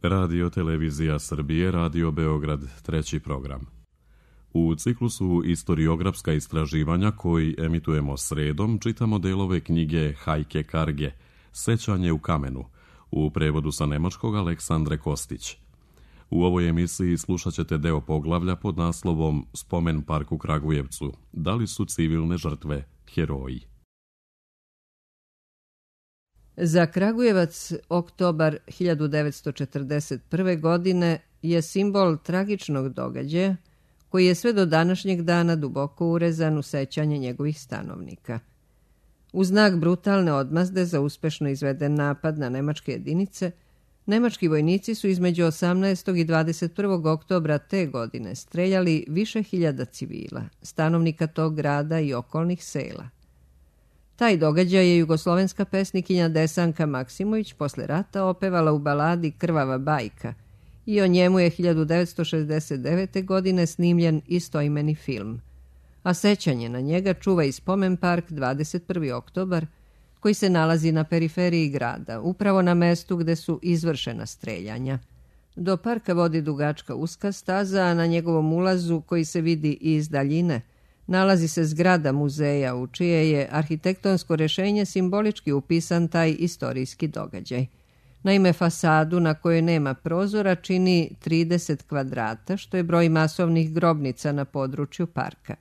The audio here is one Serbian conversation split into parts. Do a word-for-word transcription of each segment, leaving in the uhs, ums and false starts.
Radio Televizija Srbije, Radio Beograd, treći program. U ciklusu Istoriografska istraživanja koji emitujemo sredom čitamo delove knjige Hajke Karge, Sećanje u kamenu, u prevodu sa nemačkog Aleksandre Kostić. U ovoj emisiji slušat ćete deo poglavlja pod naslovom Spomen park u Kragujevcu. Da li su civilne žrtve heroji? Za Kragujevac oktobar hiljadu devetsto četrdeset prve. godine je simbol tragičnog događaja koji je sve do današnjeg dana duboko urezan u sećanje njegovih stanovnika. U znak brutalne odmazde za uspešno izveden napad na nemačke jedinice, nemački vojnici su između osamnaestog i dvadeset prvog oktobra te godine streljali više hiljada civila, stanovnika tog grada i okolnih sela. Taj događaj je jugoslovenska pesnikinja Desanka Maksimović posle rata opevala u baladi Krvava bajka i o njemu je hiljadu devetsto šezdeset devete. godine snimljen istoimeni film, a sećanje na njega čuva i spomen park dvadeset prvi oktobar, koji se nalazi na periferiji grada, upravo na mestu gde su izvršena streljanja. Do parka vodi dugačka uska staza, a na njegovom ulazu, koji se vidi iz daljine, nalazi se zgrada muzeja u čije je arhitektonsko rešenje simbolički upisan taj istorijski događaj. Naime, fasadu na kojoj nema prozora čini trideset kvadrata, što je broj masovnih grobnica na području parka.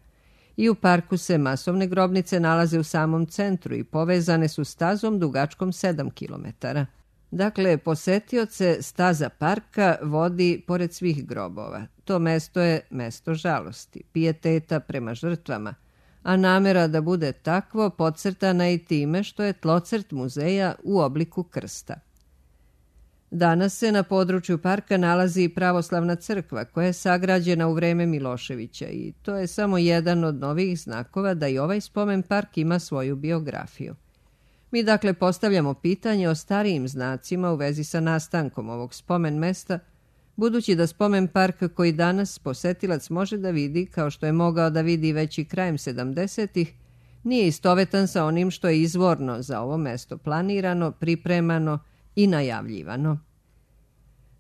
I u parku se masovne grobnice nalaze u samom centru i povezane su stazom dugačkom sedam kilometara. Dakle, posetioce staza parka vodi pored svih grobova. To mesto je mesto žalosti, pijeteta prema žrtvama, a namera da bude takvo podcrtana i time što je tlocrt muzeja u obliku krsta. Danas se na području parka nalazi pravoslavna crkva koja je sagrađena u vreme Miloševića i to je samo jedan od novih znakova da i ovaj spomen park ima svoju biografiju. Mi dakle postavljamo pitanje o starijim znacima u vezi sa nastankom ovog spomen mesta, budući da spomen park koji danas posetilac može da vidi, kao što je mogao da vidi već i krajem sedamdesetih, nije istovetan sa onim što je izvorno za ovo mesto planirano, pripremano i najavljivano.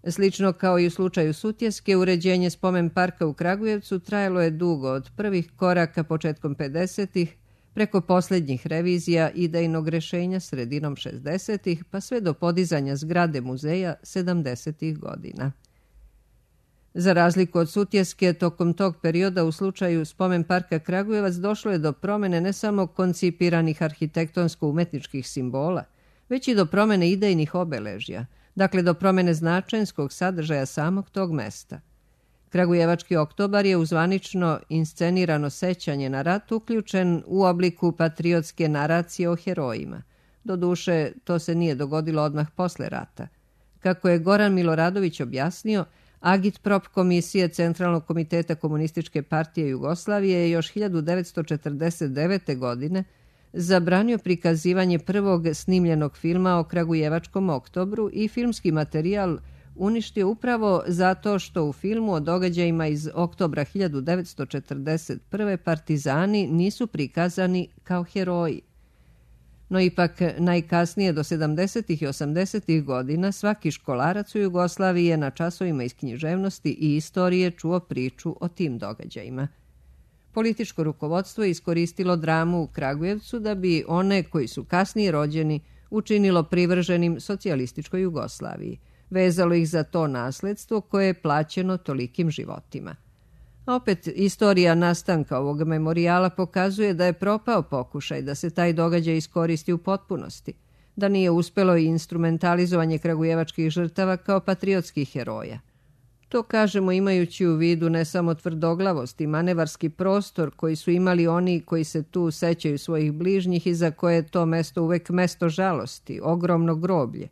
Slično kao i u slučaju Sutjeske, uređenje spomen parka u Kragujevcu trajalo je dugo, od prvih koraka početkom pedesetih, preko posljednjih revizija idejnog rešenja sredinom šezdesetih, pa sve do podizanja zgrade muzeja sedamdesetih godina. Za razliku od Sutjeske, tokom tog perioda u slučaju spomen parka Kragujevac došlo je do promene ne samo koncipiranih arhitektonsko-umetničkih simbola, već i do promene idejnih obeležja, dakle do promene značenskog sadržaja samog tog mesta. Kragujevački oktobar je u zvanično inscenirano sećanje na rat uključen u obliku patriotske naracije o herojima. Doduše, to se nije dogodilo odmah posle rata. Kako je Goran Miloradović objasnio, Agitprop komisije Centralnog komiteta Komunističke partije Jugoslavije je još hiljadu devetsto četrdeset devete. godine zabranio prikazivanje prvog snimljenog filma o Kragujevačkom oktobru i filmski materijal uništio upravo zato što u filmu o događajima iz oktobra hiljadu devetsto četrdeset prve. partizani nisu prikazani kao heroji. No ipak najkasnije do sedamdesetih i osamdesetih godina svaki školarac u Jugoslaviji je na časovima iz književnosti i istorije čuo priču o tim događajima. Političko rukovodstvo je iskoristilo dramu u Kragujevcu da bi one koji su kasnije rođeni učinilo privrženim socijalističkoj Jugoslaviji. Vezalo ih za to nasledstvo koje je plaćeno tolikim životima. A opet, istorija nastanka ovog memorijala pokazuje da je propao pokušaj da se taj događaj iskoristi u potpunosti, da nije uspelo i instrumentalizovanje kragujevačkih žrtava kao patriotskih heroja. To kažemo imajući u vidu ne samo tvrdoglavost i manevarski prostor koji su imali oni koji se tu sećaju svojih bližnjih i za koje je to mesto uvek mesto žalosti, ogromno groblje,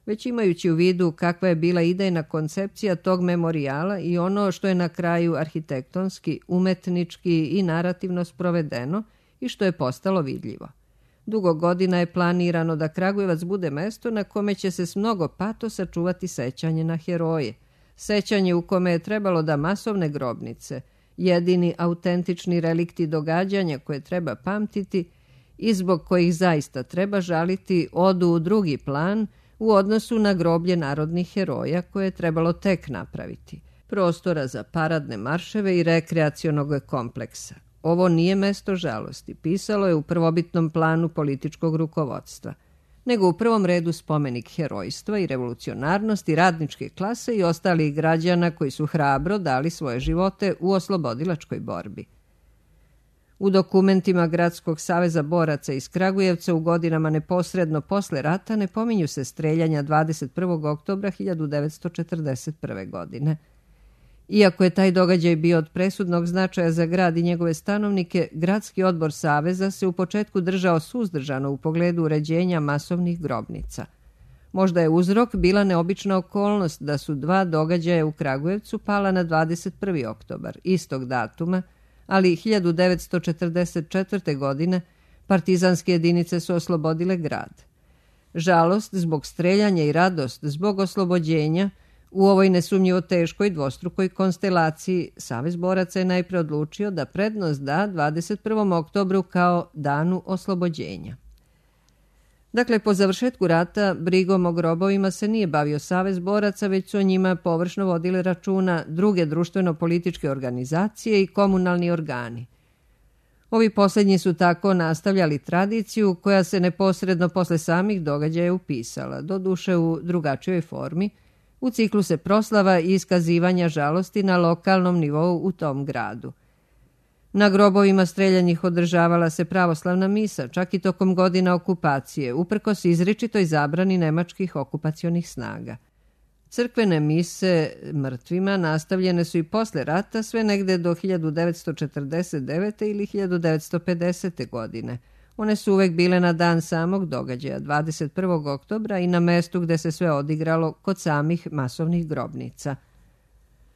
već imajući u vidu kakva je bila idejna koncepcija tog memorijala i ono što je na kraju arhitektonski, umetnički i narativno sprovedeno i što je postalo vidljivo. Dugo godina je planirano da Kragujevac bude mesto na kome će se s mnogo patosa čuvati sećanje na heroje, sećanje u kome je trebalo da masovne grobnice, jedini autentični relikti događanja koje treba pamtiti i zbog kojih zaista treba žaliti, odu u drugi plan, u odnosu na groblje narodnih heroja koje je trebalo tek napraviti, prostora za paradne marševe i rekreacionog kompleksa. Ovo nije mesto žalosti, pisalo je u prvobitnom planu političkog rukovodstva, nego u prvom redu spomenik herojstva i revolucionarnosti radničke klase i ostalih građana koji su hrabro dali svoje živote u oslobodilačkoj borbi. U dokumentima Gradskog saveza boraca iz Kragujevca u godinama neposredno posle rata ne pominju se streljanja dvadeset prvog oktobra hiljadu devetsto četrdeset prve. godine. Iako je taj događaj bio od presudnog značaja za grad i njegove stanovnike, Gradski odbor Saveza se u početku držao suzdržano u pogledu uređenja masovnih grobnica. Možda je uzrok bila neobična okolnost da su dva događaja u Kragujevcu pala na dvadeset prvi oktobar, istog datuma, ali hiljadu devetsto četrdeset četvrte. godine partizanske jedinice su oslobodile grad. Žalost zbog streljanja i radost zbog oslobođenja u ovoj nesumnjivo teškoj dvostrukoj konstelaciji Savez boraca je najpre odlučio da prednost da dvadeset prvom oktobru kao danu oslobođenja. Dakle, po završetku rata brigom o grobovima se nije bavio Savez boraca, već su o njima površno vodile računa druge društveno-političke organizacije i komunalni organi. Ovi posljednji su tako nastavljali tradiciju koja se neposredno posle samih događaja upisala, doduše u drugačijoj formi, u cikluse proslava i iskazivanja žalosti na lokalnom nivou u tom gradu. Na grobovima streljanih održavala se pravoslavna misa, čak i tokom godina okupacije, uprkos izričitoj zabrani nemačkih okupacionih snaga. Crkvene mise mrtvima nastavljene su i posle rata sve negde do hiljadu devetsto četrdeset devete. ili hiljadu devetsto pedesete. godine. One su uvek bile na dan samog događaja, dvadeset prvog oktobra, i na mestu gde se sve odigralo kod samih masovnih grobnica.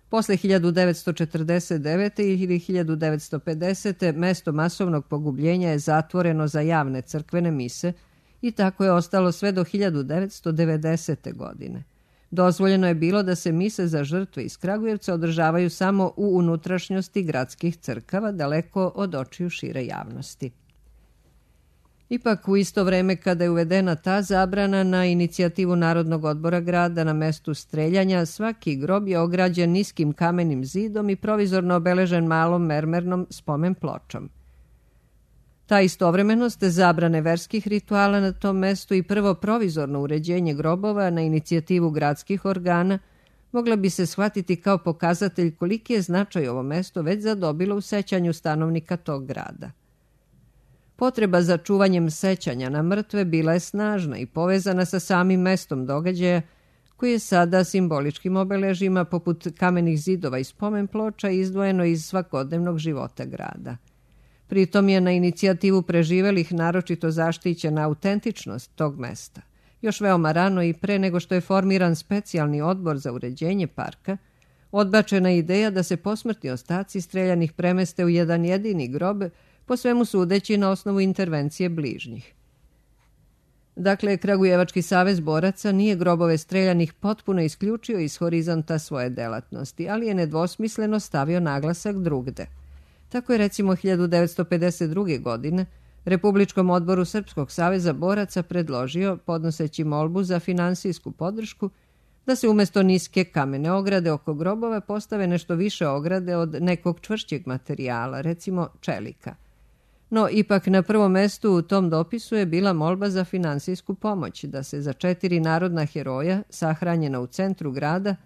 Posle hiljadu devetsto četrdeset devete. ili hiljadu devetsto pedesete. mesto masovnog pogubljenja je zatvoreno za javne crkvene mise i tako je ostalo sve do hiljadu devetsto devedesete. godine. Dozvoljeno je bilo da se mise za žrtve iz Kragujevca održavaju samo u unutrašnjosti gradskih crkava, daleko od očiju šire javnosti. Ipak, u isto vreme kada je uvedena ta zabrana, na inicijativu Narodnog odbora grada na mestu streljanja, svaki grob je ograđen niskim kamenim zidom i provizorno obeležen malom mermernom spomen pločom. Ta istovremenost zabrane verskih rituala na tom mestu i prvo provizorno uređenje grobova na inicijativu gradskih organa mogla bi se shvatiti kao pokazatelj koliki je značaj ovo mesto već zadobilo u sećanju stanovnika tog grada. Potreba za čuvanjem sećanja na mrtve bila je snažna i povezana sa samim mestom događaja, koji je sada simboličkim obeležima poput kamenih zidova i spomen ploča izdvojeno iz svakodnevnog života grada. Pritom je na inicijativu preživelih naročito zaštićena autentičnost tog mesta. Još veoma rano i pre nego što je formiran specijalni odbor za uređenje parka, odbačena je ideja da se posmrtni ostaci streljanih premeste u jedan jedini grob, po svemu sudeći na osnovu intervencije bližnjih. Dakle, Kragujevački savez boraca nije grobove streljanih potpuno isključio iz horizonta svoje delatnosti, ali je nedvosmisleno stavio naglasak drugde. Tako je recimo hiljadu devetsto pedeset druge. godine Republičkom odboru Srpskog saveza boraca predložio, podnoseći molbu za finansijsku podršku, da se umjesto niske kamene ograde oko grobova postave nešto više ograde od nekog čvršćeg materijala, recimo čelika. No, ipak na prvom mestu u tom dopisu je bila molba za finansijsku pomoć, da se za četiri narodna heroja, sahranjena u centru grada,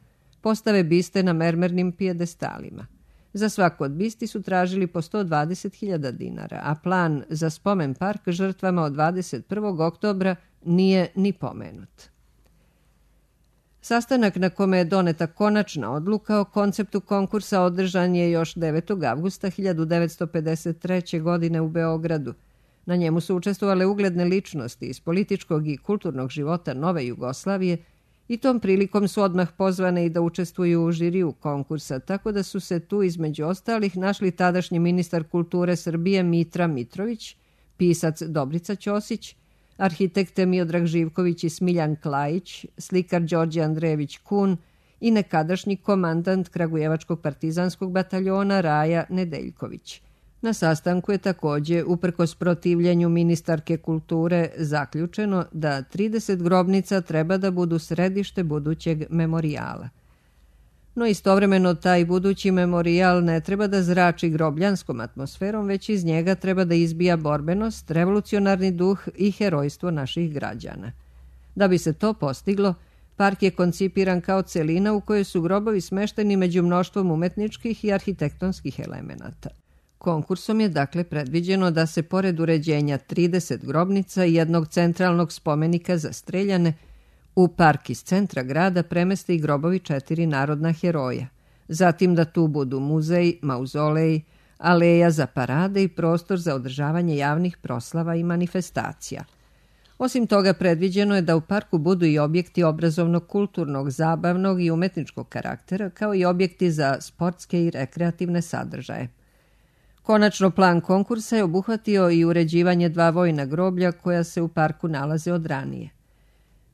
postave biste na mermernim pijedestalima. Za svako od bisti su tražili po sto dvadeset hiljada dinara, a plan za spomen park žrtvama od dvadeset prvog oktobra nije ni pomenut. Sastanak na kome je doneta konačna odluka o konceptu konkursa održan je još devetog avgusta hiljadu devetsto pedeset treće. godine u Beogradu. Na njemu su učestvovale ugledne ličnosti iz političkog i kulturnog života nove Jugoslavije i tom prilikom su odmah pozvane i da učestvuju u žiriju konkursa, tako da su se tu između ostalih našli tadašnji ministar kulture Srbije Mitra Mitrović, pisac Dobrica Ćosić, arhitekte Miodrag Živković i Smiljan Klajić, slikar Đorđe Andrejević Kun i nekadašnji komandant Kragujevačkog partizanskog bataljona Raja Nedeljković. Na sastanku je također, uprkos protivljenju ministarke kulture, zaključeno da trideset grobnica treba da budu središte budućeg memorijala. No istovremeno taj budući memorijal ne treba da zrači grobljanskom atmosferom, već iz njega treba da izbija borbenost, revolucionarni duh i herojstvo naših građana. Da bi se to postiglo, park je koncipiran kao celina u kojoj su grobovi smešteni među mnoštvom umetničkih i arhitektonskih elemenata. Konkursom je dakle predviđeno da se pored uređenja trideset grobnica i jednog centralnog spomenika za streljane, u park iz centra grada premeste i grobovi četiri narodna heroja, zatim da tu budu muzej, mauzolej, aleja za parade i prostor za održavanje javnih proslava i manifestacija. Osim toga, predviđeno je da u parku budu i objekti obrazovnog, kulturnog, zabavnog i umetničkog karaktera, kao i objekti za sportske i rekreativne sadržaje. Konačno, plan konkursa je obuhvatio i uređivanje dva vojna groblja koja se u parku nalaze od ranije.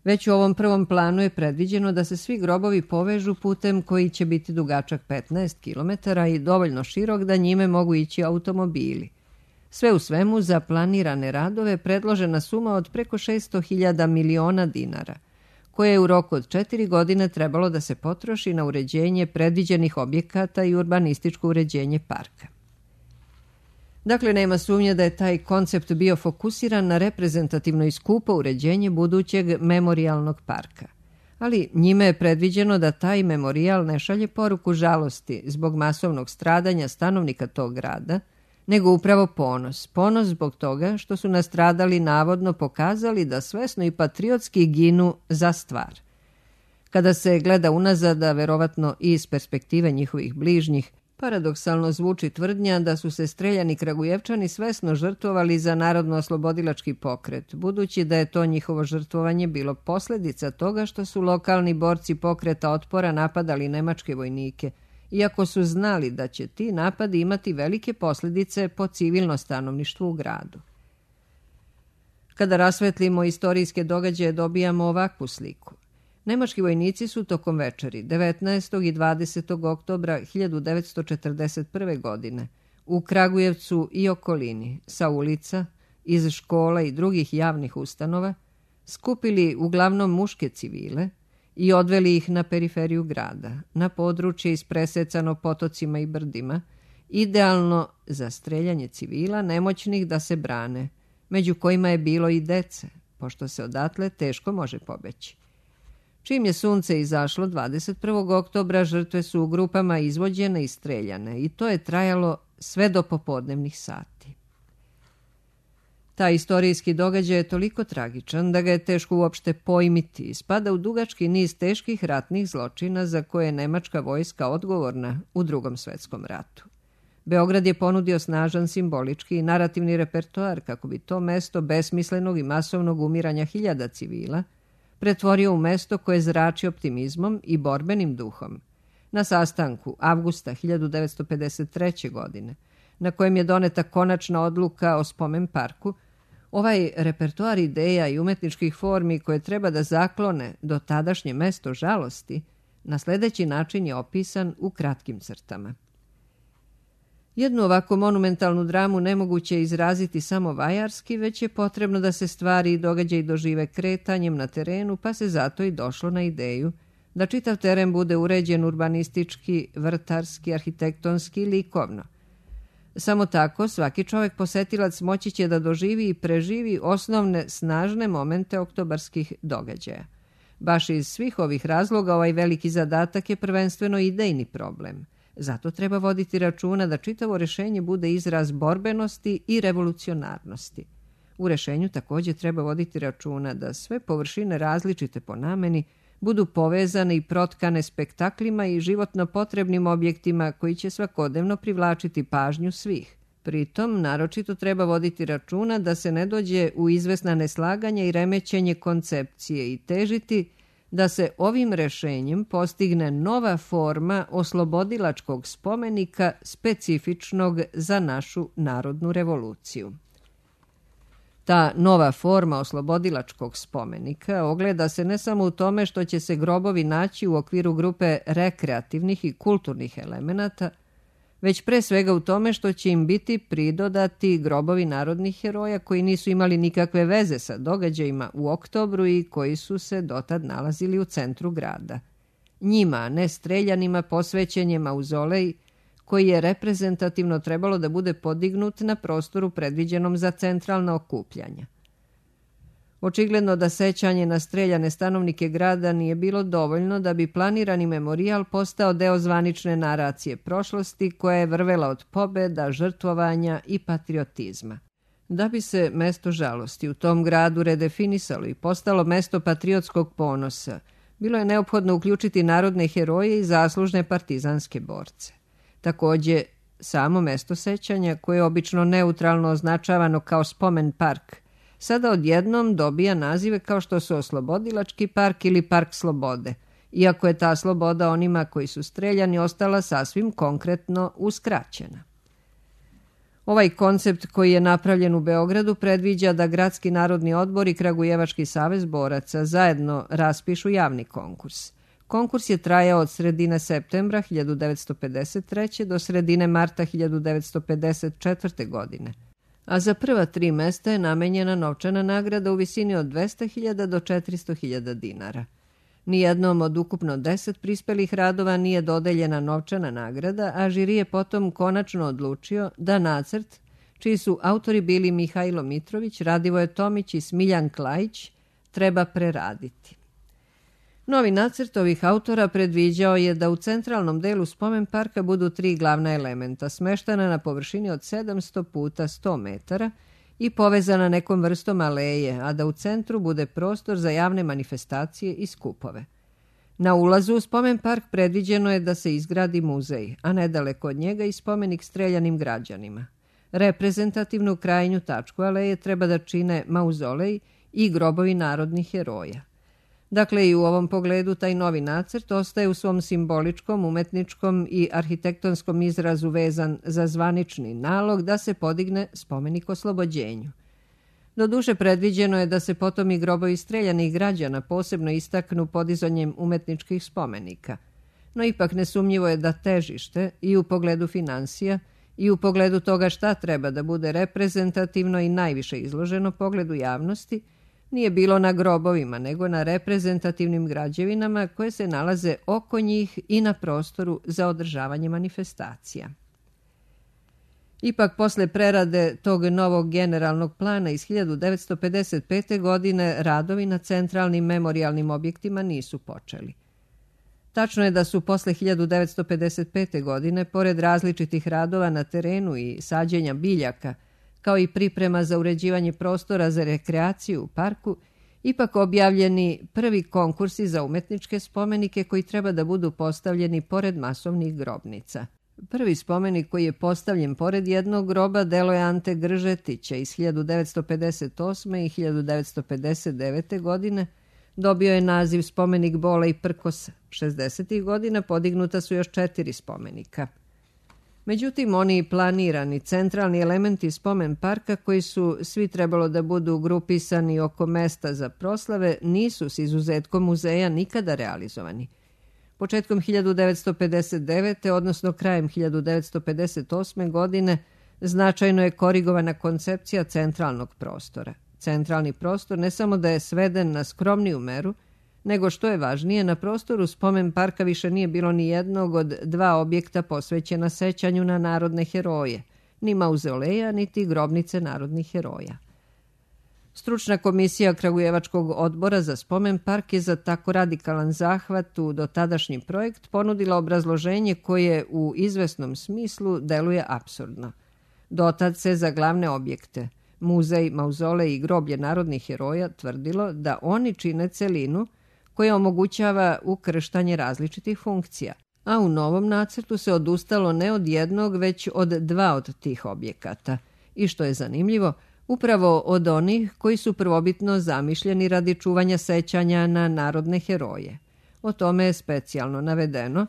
Već u ovom prvom planu je predviđeno da se svi grobovi povežu putem koji će biti dugačak petnaest kilometara i dovoljno širok da njime mogu ići automobili. Sve u svemu, za planirane radove predložena suma od preko šesto hiljada miliona dinara, koje je u roku od četiri godine trebalo da se potroši na uređenje predviđenih objekata i urbanističko uređenje parka. Dakle, nema sumnje da je taj koncept bio fokusiran na reprezentativno i skupo uređenje budućeg memorijalnog parka. Ali njime je predviđeno da taj memorijal ne šalje poruku žalosti zbog masovnog stradanja stanovnika tog grada, nego upravo ponos. Ponos zbog toga što su nastradali navodno pokazali da svesno i patriotski ginu za stvar. Kada se gleda unazad, a verovatno i iz perspektive njihovih bližnjih, paradoksalno zvuči tvrdnja da su se streljani Kragujevčani svesno žrtvovali za narodno-oslobodilački pokret, budući da je to njihovo žrtvovanje bilo posljedica toga što su lokalni borci pokreta otpora napadali nemačke vojnike, iako su znali da će ti napadi imati velike posljedice po civilno stanovništvo u gradu. Kada rasvetlimo istorijske događaje, dobijamo ovakvu sliku. Nemački vojnici su tokom večeri devetnaestog i dvadesetog oktobra hiljadu devetsto četrdeset prve. godine u Kragujevcu i okolini sa ulica, iz škola i drugih javnih ustanova skupili uglavnom muške civile i odveli ih na periferiju grada, na područje ispresecano potocima i brdima, idealno za streljanje civila nemoćnih da se brane, među kojima je bilo i dece, pošto se odatle teško može pobeći. Čim je sunce izašlo dvadeset prvog oktobra, žrtve su u grupama izvođene i streljane i to je trajalo sve do popodnevnih sati. Taj istorijski događaj je toliko tragičan da ga je teško uopšte pojmiti i spada u dugački niz teških ratnih zločina za koje je nemačka vojska odgovorna u Drugom svetskom ratu. Beograd je ponudio snažan simbolički i narativni repertoar kako bi to mesto besmislenog i masovnog umiranja hiljada civila pretvorio u mesto koje zrači optimizmom i borbenim duhom. Na sastanku avgusta hiljadu devetsto pedeset treće. godine, na kojem je doneta konačna odluka o spomen parku, ovaj repertoar ideja i umetničkih formi koje treba da zaklone do tadašnje mesto žalosti, na sljedeći način je opisan u kratkim crtama. Jednu ovako monumentalnu dramu nemoguće je izraziti samo vajarski, već je potrebno da se stvari i događaji dožive kretanjem na terenu, pa se zato i došlo na ideju da čitav teren bude uređen urbanistički, vrtarski, arhitektonski i likovno. Samo tako svaki čovjek posetilac moći će da doživi i preživi osnovne snažne momente oktobarskih događaja. Baš iz svih ovih razloga ovaj veliki zadatak je prvenstveno idejni problem. Zato treba voditi računa da čitavo rješenje bude izraz borbenosti i revolucionarnosti. U rješenju također treba voditi računa da sve površine različite po nameni budu povezane i protkane spektaklima i životno potrebnim objektima koji će svakodnevno privlačiti pažnju svih. Pritom, naročito treba voditi računa da se ne dođe u izvesna neslaganja i remećenje koncepcije i težiti da se ovim rješenjem postigne nova forma oslobodilačkog spomenika specifičnog za našu narodnu revoluciju. Ta nova forma oslobodilačkog spomenika ogleda se ne samo u tome što će se grobovi naći u okviru grupe rekreativnih i kulturnih elemenata, već pre svega u tome što će im biti pridodati grobovi narodnih heroja koji nisu imali nikakve veze sa događajima u oktobru i koji su se dotad nalazili u centru grada. Njima, ne streljanima, posvećen je mauzolej koji je reprezentativno trebalo da bude podignut na prostoru predviđenom za centralna okupljanja. Očigledno da sećanje na streljane stanovnike grada nije bilo dovoljno da bi planirani memorijal postao deo zvanične naracije prošlosti koja je vrvela od pobeda, žrtvovanja i patriotizma. Da bi se mesto žalosti u tom gradu redefinisalo i postalo mesto patriotskog ponosa, bilo je neophodno uključiti narodne heroje i zaslužne partizanske borce. Takođe, samo mesto sećanja, koje je obično neutralno označavano kao spomen park, sada odjednom dobija nazive kao što su Oslobodilački park ili Park slobode, iako je ta sloboda onima koji su streljani ostala sasvim konkretno uskraćena. Ovaj koncept koji je napravljen u Beogradu predviđa da Gradski narodni odbor i Kragujevački savez boraca zajedno raspišu javni konkurs. Konkurs je trajao od sredine septembra hiljadu devetsto pedeset treće. do sredine marta hiljadu devetsto pedeset četvrte. godine, a za prva tri mesta je namenjena novčana nagrada u visini od dvesta hiljada do četiristo hiljada dinara. Nijednom od ukupno deset prispelih radova nije dodeljena novčana nagrada, a žiri je potom konačno odlučio da nacrt, čiji su autori bili Mihajlo Mitrović, Radivoje Tomić i Smiljan Klajić, treba preraditi. Novi nacrt ovih autora predviđao je da u centralnom delu spomen parka budu tri glavna elementa, smeštana na površini od sedamsto puta sto metara i povezana nekom vrstom aleje, a da u centru bude prostor za javne manifestacije i skupove. Na ulazu u spomen park predviđeno je da se izgradi muzej, a nedaleko od njega i spomenik streljanim građanima. Reprezentativnu krajnju tačku aleje treba da čine mauzolej i grobovi narodnih heroja. Dakle, i u ovom pogledu taj novi nacrt ostaje u svom simboličkom, umetničkom i arhitektonskom izrazu vezan za zvanični nalog da se podigne spomenik oslobođenju. Doduše, predviđeno je da se potom i grobovi streljanih građana posebno istaknu podizanjem umetničkih spomenika. No ipak nesumnjivo je da težište i u pogledu finansija i u pogledu toga šta treba da bude reprezentativno i najviše izloženo pogledu javnosti nije bilo na grobovima, nego na reprezentativnim građevinama koje se nalaze oko njih i na prostoru za održavanje manifestacija. Ipak, posle prerade tog novog generalnog plana iz hiljadu devetsto pedeset pete. godine, radovi na centralnim memorijalnim objektima nisu počeli. Tačno je da su posle hiljadu devetsto pedeset pete. godine, pored različitih radova na terenu i sađenja biljaka, kao i priprema za uređivanje prostora za rekreaciju u parku, ipak objavljeni prvi konkursi za umetničke spomenike koji treba da budu postavljeni pored masovnih grobnica. Prvi spomenik koji je postavljen pored jednog groba delo je Ante Gržetića iz hiljadu devetsto pedeset osme. i hiljadu devetsto pedeset devete. godine. Dobio je naziv spomenik bola i prkosa. šezdesetih godina podignuta su još četiri spomenika. Međutim, oni planirani centralni elementi spomen parka koji su svi trebalo da budu grupisani oko mesta za proslave nisu s izuzetkom muzeja nikada realizovani. Početkom hiljadu devetsto pedeset devete. odnosno krajem hiljadu devetsto pedeset osme. godine značajno je korigovana koncepcija centralnog prostora. Centralni prostor ne samo da je sveden na skromniju meru, nego što je važnije, na prostoru spomen parka više nije bilo ni jednog od dva objekta posvećena sećanju na narodne heroje, ni mauzoleja, niti grobnice narodnih heroja. Stručna komisija Kragujevačkog odbora za spomen park je za tako radikalan zahvat u dotadašnji projekt ponudila obrazloženje koje u izvesnom smislu deluje apsurdno. Dotad se za glavne objekte, muzej, mauzolej i groblje narodnih heroja, tvrdilo da oni čine celinu koja omogućava ukrštanje različitih funkcija, a u novom nacrtu se odustalo ne od jednog, već od dva od tih objekata. I što je zanimljivo, upravo od onih koji su prvobitno zamišljeni radi čuvanja sećanja na narodne heroje. O tome je specijalno navedeno.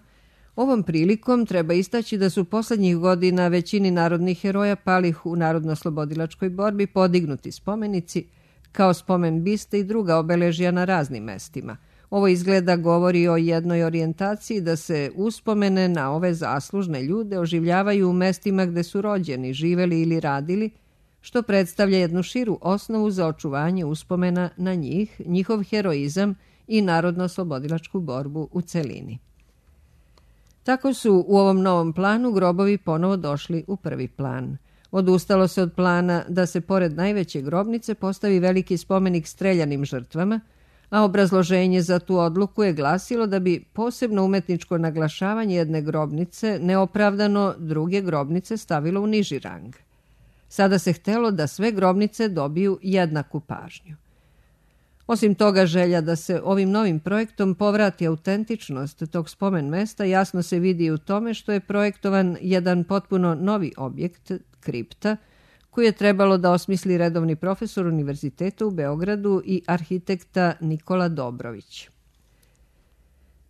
Ovom prilikom treba istaći da su poslednjih godina većini narodnih heroja palih u narodno-oslobodilačkoj borbi podignuti spomenici kao spomen biste i druga obeležja na raznim mestima, Ovo izgleda govori o jednoj orijentaciji da se uspomene na ove zaslužne ljude oživljavaju u mestima gde su rođeni, živeli ili radili, što predstavlja jednu širu osnovu za očuvanje uspomena na njih, njihov heroizam i narodno-oslobodilačku borbu u celini. Tako su u ovom novom planu grobovi ponovo došli u prvi plan. Odustalo se od plana da se pored najveće grobnice postavi veliki spomenik streljanim žrtvama, a obrazloženje za tu odluku je glasilo da bi posebno umetničko naglašavanje jedne grobnice neopravdano druge grobnice stavilo u niži rang. Sada se htelo da sve grobnice dobiju jednaku pažnju. Osim toga, želja da se ovim novim projektom povrati autentičnost tog spomen mesta jasno se vidi u tome što je projektovan jedan potpuno novi objekt, kripta, koju je trebalo da osmisli redovni profesor Univerziteta u Beogradu i arhitekta Nikola Dobrović.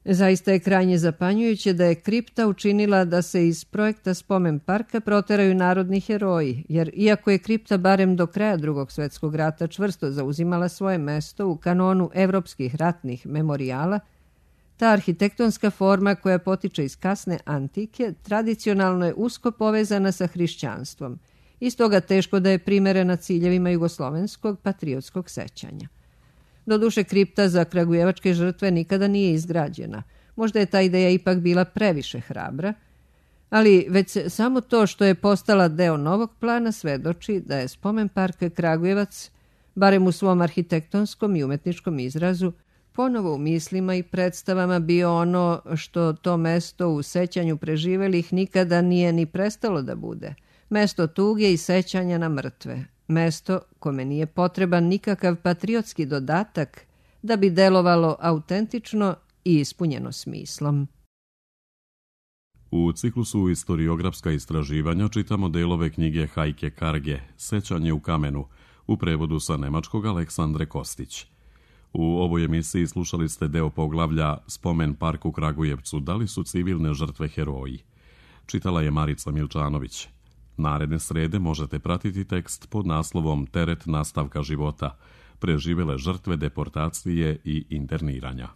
Zaista je krajnje zapanjujuće da je kripta učinila da se iz projekta spomen parka proteraju narodni heroji, jer iako je kripta barem do kraja Drugog svjetskog rata čvrsto zauzimala svoje mesto u kanonu evropskih ratnih memorijala, ta arhitektonska forma koja potiče iz kasne antike tradicionalno je usko povezana sa hrišćanstvom i stoga teško da je primerena ciljevima jugoslovenskog patriotskog sećanja. Doduše, kripta za kragujevačke žrtve nikada nije izgrađena. Možda je ta ideja ipak bila previše hrabra, ali već samo to što je postala deo novog plana svedoči da je spomen park Kragujevac, barem u svom arhitektonskom i umetničkom izrazu, ponovo u mislima i predstavama bio ono što to mesto u sećanju preživelih nikada nije ni prestalo da bude. Mesto tuge i sećanja na mrtve. Mesto kome nije potreban nikakav patriotski dodatak da bi delovalo autentično i ispunjeno smislom. U ciklusu Istoriografska istraživanja čitamo delove knjige Hajke Karge Sećanje u kamenu, u prevodu sa nemačkog Aleksandre Kostić. U ovoj emisiji slušali ste deo poglavlja Spomen park u Kragujevcu, da li su civilne žrtve heroji. Čitala je Marica Milčanović. Naredne srede možete pratiti tekst pod naslovom Teret nastavka života, preživele žrtve deportacije i interniranja.